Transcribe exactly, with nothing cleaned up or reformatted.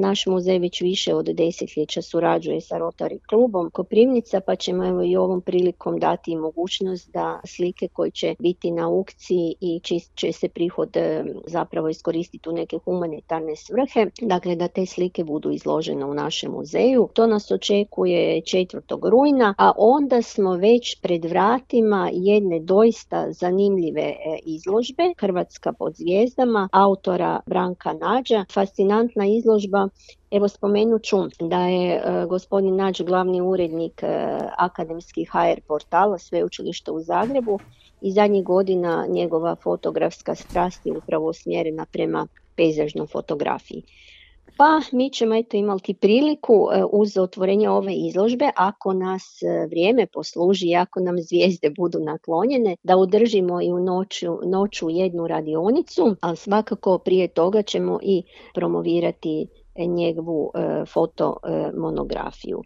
naš muzej već više od desetljeća surađuje sa Rotary klubom Koprivnica, pa ćemo evo i ovom prilikom dati mogućnost da slike koje će biti na aukciji i čiji će se prihod zapravo iskoristiti u neke humanitarne svrhe, dakle da te slike budu izložene u našem muzeju. To nas očekuje četvrtog rujna, a onda smo već pred vratima jedne doista zanimljive izložbe Hrvatska pod zvijezdama autora Branka Nađa. Fascinantna izložba. Evo spomenut ću da je e, gospodin Nađ glavni urednik e, akademskih ha er portala Sveučilišta u Zagrebu i zadnjih godina njegova fotografska strast je upravo usmjerena prema pejzažnoj fotografiji. Pa mi ćemo eto imati priliku e, uz otvorenje ove izložbe, ako nas e, vrijeme posluži i ako nam zvijezde budu naklonjene, da održimo i u noću, noću jednu radionicu, ali svakako prije toga ćemo i promovirati njegovu e, fotomonografiju.